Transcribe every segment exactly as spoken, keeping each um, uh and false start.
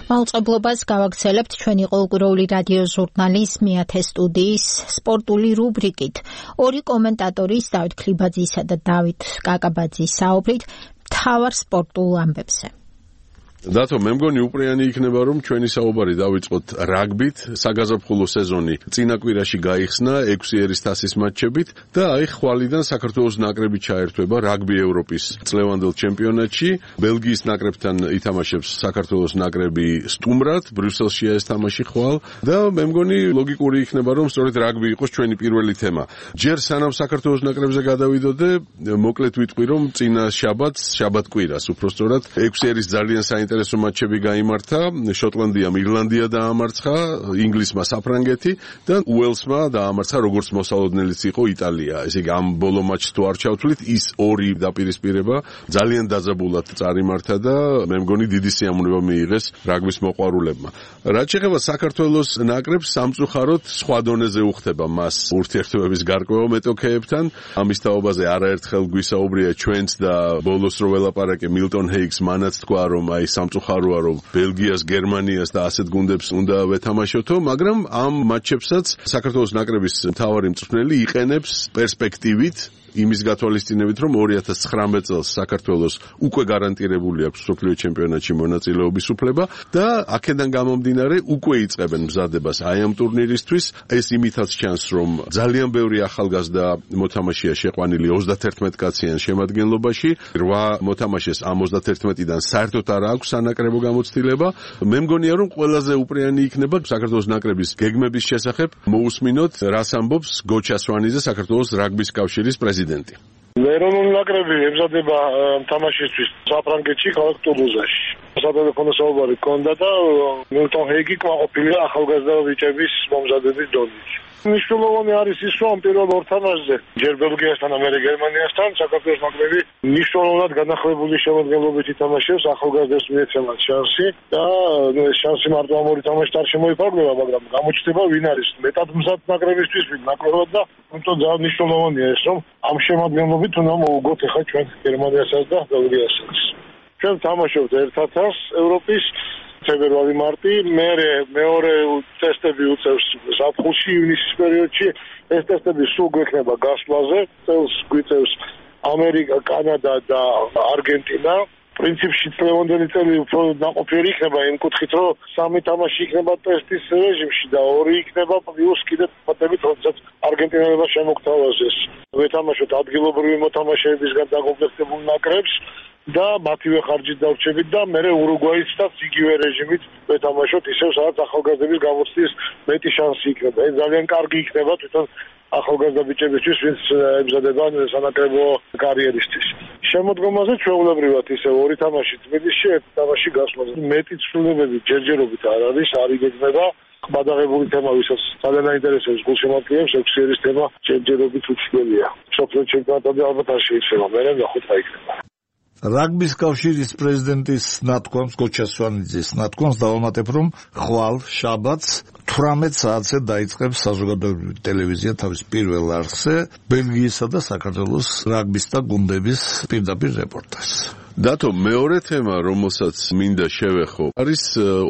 მაუწყებლობას გავაგრძელებთ ჩვენი ყოველკვირეული რადიო ჟურნალის მეათე სტუდიის სპორტული რუბრიკით. ორი კომენტატორის დავით ქლიბაძისა და დავით კაკაბაძის საუბრით მთავარ სპორტულ ამბებზე. დათო, მე მგონი უპრიანი იქნება, რომ ჩვენი საუბარი დავიწყოთ რაგბით. საგაზაფხულო სეზონი წინა კვირაში გაიხსნა ექვსი ერის თასის მატჩებით და აი ხვალიდან საქართველოს ნაკრები ჩაერთვება რაგბი ევროპის წლევანდელ ჩემპიონატში. ბელგიის ნაკრებთან ითამაშებს საქართველოს ნაკრები სტუმრად, ბრიუსელშია ეს თამაში ხვალ და მე მგონი ლოგიკური იქნება, რომ სწორედ რაგბი იყოს ჩვენი პირველი თემა. ჯერ სანამ საქართველოს ნაკრებზე გადავიდოდე, მოკლედ ვიტყვი, რომ წინა შაბათს, შაბათ-კვირას უბრალოდ ექვსი ერის ძალიან საინტერესო ეს მატჩები გაიმართა. შოტლანდიამ ირლანდია დაამარცხა, ინგლისმა საფრანგეთი და უელსმა დაამარცხა, როგორც მოსალოდნელიც იყო იტალია. ესე იგი ამ ბოლო მატჩს თუ არ ჩავთვლით, ის ორი დაპირისპირება ძალიან დაძაბულად წარიმართა და მე მგონი დიდი სიამოვნება მიიღეს რაგბის მოყვარულებმა. რაც შეეხება საქართველოს ნაკრებს, სამწუხაროდ სხვა დონეზე უხდება მას ურთიერთობების გარკვევა მეტოქეებთან. ამის თაობაზე არაერთხელ გვისაუბრია ჩვენც და ბოლოს რო ველაპარაკე მილტონ ჰეიგს მანაც თქვა, რომ აი სამწუხაროა, რომ ბელგიას, გერმანიას და ასეთ გუნდებს უნდა ვეთამაშოთო, მაგრამ ამ მატჩებსაც საქართველოს ნაკრების მთავარი მწვრთნელი იყენებს პერსპექტივით, იმის გათვალისწინებით, რომ ორი ათას ცხრამეტ წელს საქართველოს უკვე გარანტირებული აქვს მსოფლიო ჩემპიონატში მონაწილეობის უფლება და აქედან გამომდინარე უკვე იწყებენ მზადებას აი ამ ტურნირისთვის. ეს იმითაც ჩანს, რომ ძალიან ბევრი ახალგაზრდა მოთამაშეა შეყვანილი ოცდაათერთმეტ კაციან შემადგენლობაში. რვა მოთამაშეს ამ ოცდაათერთმეტიდან საერთოდ არ აქვს სანაკრებო გამოცდილება. მე მგონია, რომ ყველაზე უპრიანი იქნება საქართველოს ნაკრების გეგმების შესახებ მოусმინოთ, რას ამბობს გოჩა სვანიძე, საქართველოს რაგბის კავშირის პრეზიდენტი. ეროვნული ნაკრები ემზადება თამაშისთვის საფრანგეთში, ქალაქ ტულუზაში. სატელეფონო საუბარი ჰქონდა და მილტონ ჰეიგი კმაყოფილია ახალგაზრდა ბიჭების მომზადების დონით. მნიშვნელოვანი არის ის, რომ პირველ ორ თამაშზე ჯერ ბელგიასთან, ამერე გერმანიასთან საქართველოს ნაკრები მნიშვნელოვნად განახლებული შემადგენლობით ითამაშებს, ახალგაზრდებს მიეცემათ შანსი და ეს შანსი მარტო ამ ორი თამაშით არ შემოიფარგლება, მაგრამ გამოჩნდება ვინ არის მეტად მზად ნაკრებისთვის, ვინ ნაკლებად და თუმცა ძალიან მნიშვნელოვანია ეს, რომ ამ შემადგენლობით უნდა მოვუგოთ ახლა ჩვენ გერმანიასაც და ბელგიასაც. ჩვენ თამაშობთ ერთ ათას ევროპის თებერვალი მარტი, მერე მეორე ტესტები უწევს ზაფხულში, ივნისის პერიოდში. ეს ტესტები სულ გვექნება გასვლაზე, წელს გვიწევს ამერიკა, კანადა და არგენტინა. პრინციპში წლევანდელი წელი უფრო ნაყოფიერი იქნება იმ კუთხით, რომ სამი თამაში იქნება ტესტის რეჟიმში და ორი იქნება პლუს კიდევ ფოტებით, როდესაც არგენტინელებმა შემოგთავაზეს ვეთამაშოთ ადგილობრივი მოთამაშეებისგან დაკომპლექტებულ ნაკრებს და მათივე ხარჯით დავრჩებით და მერე ურუგვაისაც იგივე რეჟიმით ვეთამაშოთ, ისევ სადაც ახალგაზრდების გამოცდის მეტი შანსი იქნება. ეს ძალიან კარგი იქნება თვითონ ახალგაზრდა ბიჭებისთვის, ვინც ემზადება სანაკრებო კარიერისთვის. შემოდგომაზე ჩვეულებრივად ისე ორი თამაში თბილისში, ერთი თამაში გასვლაზე. მეტი ცვლილებები ჯერჯერობით არ არის, არ იგეგმება. გადაღებული თემა, ვისაც ძალიან აინტერესებს გულშემატკივრებს, ექვსი ერის თემა ჯერჯერობით უცვლელია. მსოფლიო ჩემპიონატები ალბათ არ შეიცვალა, მერე ნახოთ რა იქნება. რაგბის კავშირის პრეზიდენტის ნათქვამს, გოჩა სვანიძის ნათქვამს დავამატებ, რომ ხვალ შაბათს თვრამეტ საათზე დაიწყებს საზოგადოებრივი ტელევიზია თავის პირველ არხზე ბელგიისა და საქართველოს რაგბისტთა გუნდების პირდაპირ რეპორტაჟს. დათო, მეორე თემა, რომელსაც მინდა შევეხო, არის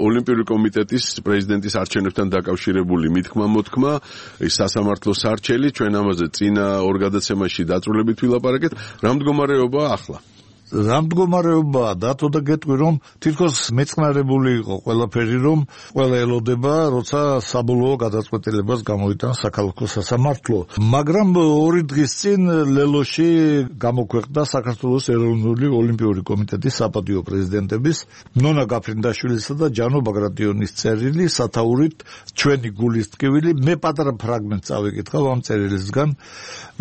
ოლიმპიური კომიტეტის პრეზიდენტის არჩევნებთან დაკავშირებული მითქმა-მოთქმა, სასამართლო სარჩელი. ჩვენ ამაზე წინა ორ გადაცემაში დაწვრილებით ვილაპარაკეთ. რა მდგომარეობაა ახლა? რა მდგომარეობაა, დათო, და გეტყვი, რომ თითქოს მეწყნარებული იყო ყველაფერი, რომ ყველა ელოდება, როცა საბოლოო გადაწყვეტილებას გამოიტანს საქალაქო სასამართლო. მაგრამ ორი დღის წინ ლელოში გამოქვეყნდა საქართველოს ეროვნული ოლიმპიური კომიტეტის საპატიო პრეზიდენტების ნონა გაფრინდაშვილისა და ჯანო ბაგრატიონის წერილი, სათაურით ჩვენი გულის ტკივილი. მე პატარა ფრაგმენტს წავიკითხავ ამ წერილისგან,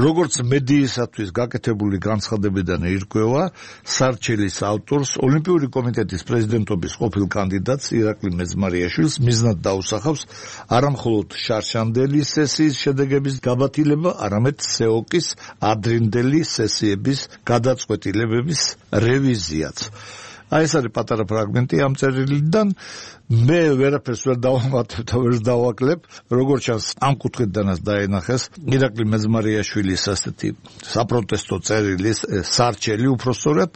როგორც მედიისათვის გაკეთებული განცხადებიდან ირკვევა, სარჩელის ავტორს ოლიმპიური კომიტეტის პრეზიდენტობის ყოფილ კანდიდატს ირაკლი მეძმარიაშვილს მიზნად დაუსახავს არამხოლოდ შარშანდელი სესიის შედეგების გაბათილება, არამედ სეოკის ადრინდელი სესიების გადაწყვეტილებების რევიზიაც. აი ეს არის პატარა ფრაგმენტი ამ წერილიდან. მე ვერაფერს ვერ დავამატებ და ვერ დავაკლებ. როგორც ჩანს, ამ კუთხიდანაც დაენახეს ირაკლი მეძმარიაშვილის ასეთი საპროტესტო წერილის სარჩელი უпростоრად.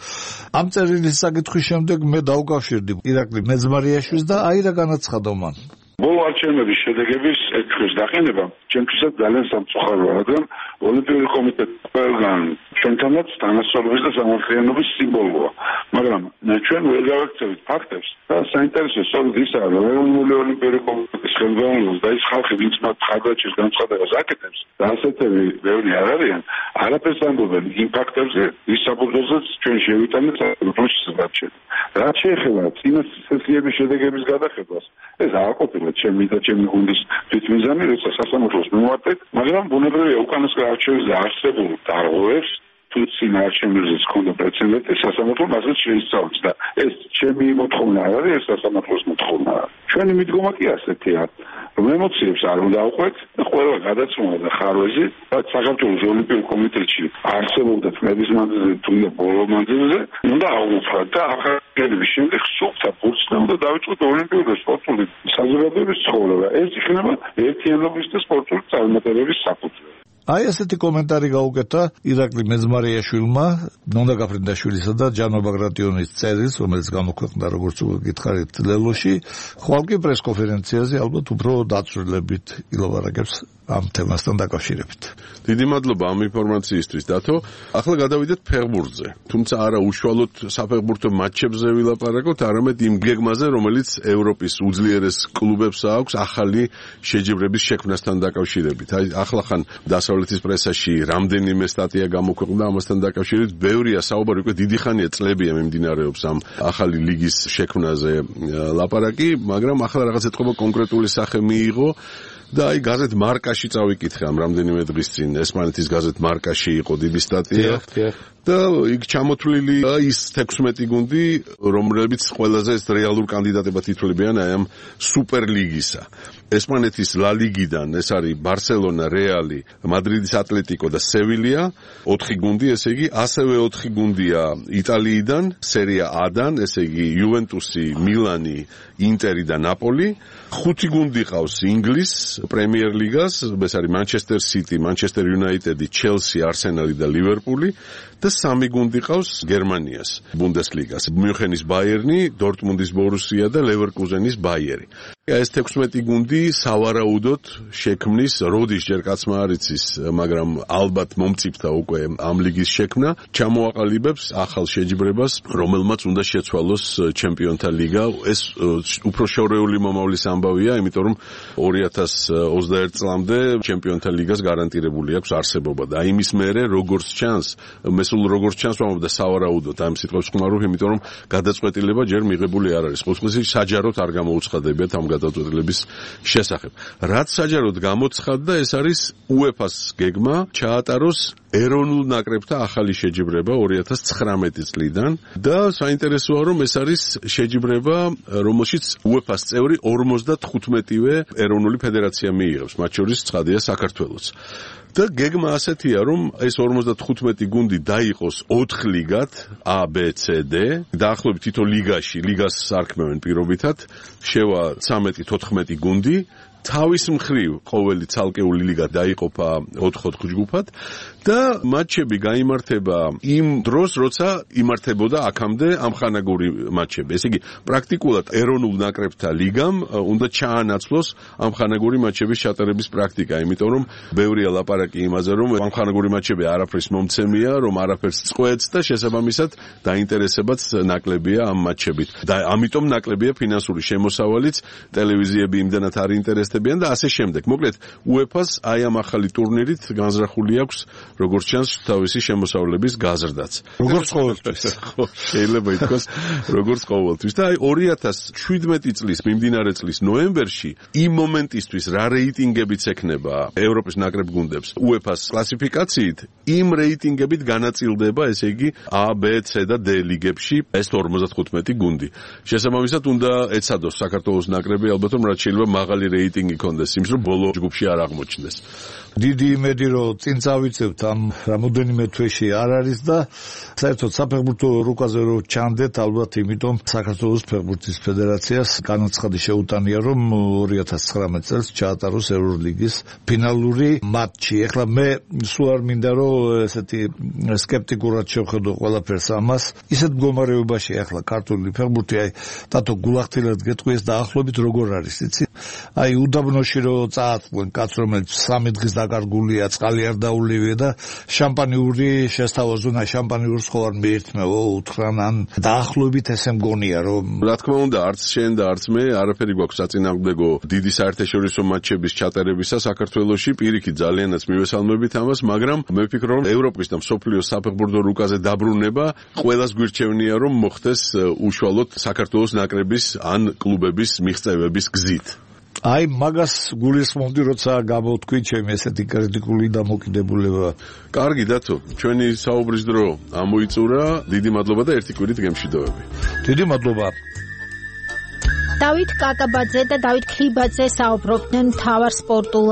ამ წერილის საკითხის შემდეგ მე დავკავშირდი ირაკლი მეძმარიაშვილს და აი რა განაცხადა მან. ბოლო არჩევნების შედეგების ექვსის დაყენება ჩემთვისაც ძალიან სამწუხაროა, რადგან ოლიმპიური კომიტეტი ყველგან ჩვენთანაც თანასწორობის და სამართლიანობის სიმბოლოა, მაგრამ ჩვენ ვერ გავაქცევით ფაქტებს და საინტერესო სწორედ ისაა, რომ ეროვნული ოლიმპიური კომიტეტის ხელმძღვანელობს და ის ხალხი, ვინც მათ ხარდაჭერს განცხადებას აკეთებს და ასეთები ბევრი არ არიან, არაფერს ამბობენ იმ ფაქტებზე, ვის საფუძველზეც ჩვენ შევიტანეთ რუსეთის არჩევნები. რაც შეეხება წინა სესიების შედეგების გადახებას, ეს არ ყოფილა ჩემი და ჩემი გუნდის თვითმიზანი, როცა სასამართლოს მივმართეთ, მაგრამ ბუნებრივია უკანასკნელ არჩევნებზე არსებულ დარღვევებს თუ წინა არჩევნებზეც ჰქონდა პრეცედენტი, სასამართლო მასზე შეისწავლის და ეს ჩემი მოთხოვნა არ არის, ეს სასამართლოს მოთხოვნაა. ჩვენი მიდგომა კი ასეთია, რომ ემოციებს არ უნდა ავყვეთ და ყველა გადაცემა და ხარვეზი, რაც საქართველოს ოლიმპიურ კომიტეტში არსებობდა წლების მანძილზე თუ ბოლო მანძილზე, უნდა აღვფრათ და ახალგაზრდების შემდეგ სუფთა ფურცლი უნდა დავიწყოთ ოლიმპიური და სპორტული საზოგადოების ცხოვრება. ეს იქნება ერთიანობის და სპორტული წარმატებების საფუძველი. აი ესეთი კომენტარი გაუკეთა ირაკლი მეძმარიაშვილმა ნონდა გაფრინდაშვილისა და ჯანო ბაგრატიონის წერილს, რომელიც გამოქვეყნდა როგორც გითხარით ლელოში, ხვალ კი პრესკონფერენციაზე ალბათ უფრო დაწვრილებით ილაპარაკებს ამ თემასთან დაკავშირებით. დიდი მადლობა ამ ინფორმაციისთვის, დათო. ახლა გადავიდეთ ფეხბურთზე. თუმცა არა უშუალოდ საფეხბურთო მატჩებზე ვილაპარაკოთ, არამედ იმ გეგმაზე, რომელიც ევროპის უძლიერეს კლუბებს აქვს ახალი შეჯიბრების შექმნასთან დაკავშირებით. აი ახლა ხან დასავლეთის პრესაში რამდენიმე სტატია გამოქვეყნდა ამასთან დაკავშირებით, ბევრია საუბარი, უკვე დიდი ხანია წლებია მიმდინარეობს ამ ახალი ლიგის შექმნაზე ლაპარაკი, მაგრამ ახლა რაღაც ეთქობა კონკრეტული სახე მიიღო. და აი გაზეთ მარკაში წავიკითხე ამ რამდენიმე დღის წინ ესპანეთის გაზეთ მარკაში იყო დიდი სტატია და იქ ჩამოთვლილი ის თექვსმეტი გუნდი, რომლებიც ყველაზე რეალურ კანდიდატებად ითვლებიან აი ამ სუპერლიგისა. ესპანეთის ლა ლიგიდან ეს არის ბარსელონა, რეალი, მადრიდის ატლეტიკო და სევილია, ოთხი გუნდი, ესე იგი, ასევე ოთხი გუნდია იტალიიდან, სერია A-დან, ესე იგი, იუვენტუსი, მილანი, ინტერი და ნაპოლი, ხუთი გუნდი ყავს ინგლის პრემიერ ლიგას, ეს არის მანჩესტერ სიტი, მანჩესტერ იუნაიტედი, ჩელსი, არსენალი და ლივერპული და სამი გუნდი ყავს გერმანიას, ბუნდესლიგას, მიუნხენის ბაიერნი, დორტმუნდის ბორუსია და ლევერკუზენის ბაიერი. ეს თექვსმეტი გუნდი სავარაუდოდ შექმნის, როდის ჯერ კაცმა არ იცის, მაგრამ ალბათ მომწიფდა უკვე ამ ლიგის შექმნა, ჩამოაყალიბებს ახალ შეჯიბრებას, რომელმაც უნდა შეცვალოს ჩემპიონთა ლიგა. ეს უფრო შორეული მომავლის ამბავია, იმიტომ რომ ორი ათას ოცდაერთი წლამდე ჩემპიონთა ლიგას გარანტირებული აქვს არსებობა და იმის მერე როგორც ჩანს, მე სულ როგორც ჩანს ვამბობ და სავარაუდოდ ამ სიტყვებს ხმარობ, იმიტომ რომ გადაწყვეტილება ჯერ მიღებული არ არის. ყოველთვის საჯაროდ არ გამოუცხადებიათ ამ გადაწყვეტილების შესახებ. რაც საჯაროდ გამოცხადდა, ეს არის უეფას გეგმა ჩაატაროს ეროვნულ ნაკრებთა ახალი შეჯიბრება ორი ათას ცხრამეტი წლიდან და საინტერესოა, რომ ეს არის შეჯიბრება, რომელშიც უეფას წევრი ორმოცდათხუთმეტივე ეროვნული ფედერაცია მიიღებს, მათ შორის ცხადია საქართველოც. და გეგმა ასეთია, რომ ეს ორმოცდათხუთმეტი გუნდი დაიყოს ოთხ ლიგად A, B, C, D. დაახლოებით თითო ლიგაში, ლიგას არქმევენ პირობითად, შევა ცამეტი თოთხმეტი გუნდი. თავის მხრივ ყოველი ცალკეული ლიგა დაიყოფა ოთხ-ოთხ ჯგუფად და მატჩები გაიმართება იმ დროს, როცა იმართებოდა აქამდე ამხანაგური მატჩები. ესე იგი, პრაქტიკულად ეროვნულ ნაკრებთა ლიგამ უნდა ჩაანაცვლოს ამხანაგური მატჩების ჩატარების პრაქტიკა, იმიტომ რომ ბევრია ლაპარაკი იმაზე, რომ ამხანაგური მატჩები არაფრის მომცემია, რომ არაფერს წყვეტს და შესაბამისად დაინტერესებაც ნაკლებია ამ მატჩებით. და ამიტომ ნაკლებია ფინანსური შემოსავალიც, ტელევიზიები იმდანაც არ ინტერესებიან და ასე შემდეგ. მოკლედ, უეფას აი ამ ახალი ტურნირით განზრახული აქვს, როგორც ჩანს, თავისი შემოსავლების გაზრდაც. როგორც ყოველთვის. შეიძლება ითქვას, როგორც ყოველთვის. და აი ორი ათას შვიდმეტი წლის მიმდინარე წლის ნოემბერში იმ მომენტისთვის რა რეიტინგებიც ექნება ევროპის ნაკრებ გუნდებს უეფას კლასიფიკაციით, იმ რეიტინგებით განაწილდება, ესე იგი A, B, C და D ლიგებში ეს ორმოცდათხუთმეტი გუნდი. შესაბამისად უნდა ეცადოს საქართველოს ნაკრები, ალბათ რომ რაც შეიძლება მაღალი რეიტინგი კონდეს იმის, რომ ბოლო ჯგუფში არ აღმოჩნდეს. დიდი იმედი რომ წინ წავიწევთ ამ რამოდენიმე თვეში არ არის და საერთოდ საფეხბურთო რუკაზე რო ჩანდეთ ალბათ იმიტომ საქართველოს ფეხბურთის ფედერაციას განაცხადი შეუტანია რომ ორი ათას ცხრამეტ წელს ჩაატაროს ევროლიგის ფინალური მატჩი. ეხლა მე სულ არ მინდა რომ ესეთი სკეპტიკურად შევხედო ყველაფერს ამას. ისეთ მდგომარეობაში ახლა ქართული ფეხბურთი აი დათო გულახდილად გეტყვი ეს დაახლოებით როგორ არის იცი? აი უდაბნოში რო წააწყვენ კაც რომელიც სამი დღის დაკარგულია წყალი არ დაულივია და შამპანიური შესთავაზუნა შამპანიურს ხო არ მიერთმევო უთხრან ან დაახლოებით ესე მგონია რომ რა თქმა უნდა არც შენ და არც მე არაფერი გვაქვს საწინააღმდეგო დიდი საერთაშორისო მატჩების ჩატარებისა საქართველოში პირიქით ძალიანაც მივესალმებით ამას მაგრამ მე ვფიქრობ რომ ევროპის და მსოფლიოს საფეხბურთო რუკაზე დაბრუნება ყველას გვირჩევნია რომ მოხდეს უშუალოდ საქართველოს ნაკრების ან კლუბების მიღწევების გზით. აი მაგას გულისხმობდი როცა გამოვთქვი ჩემი ესეთი კრიტიკული დამოკიდებულება. კარგი დათო, ჩვენი საუბრის დრო ამოიწურა. დიდი მადლობა და ერთი კვირით გემშვიდობები. დიდი მადლობა. დავით კაკაბაძე და დავით ქლიბაძე საუბრობდნენ მთავარ სპორტულ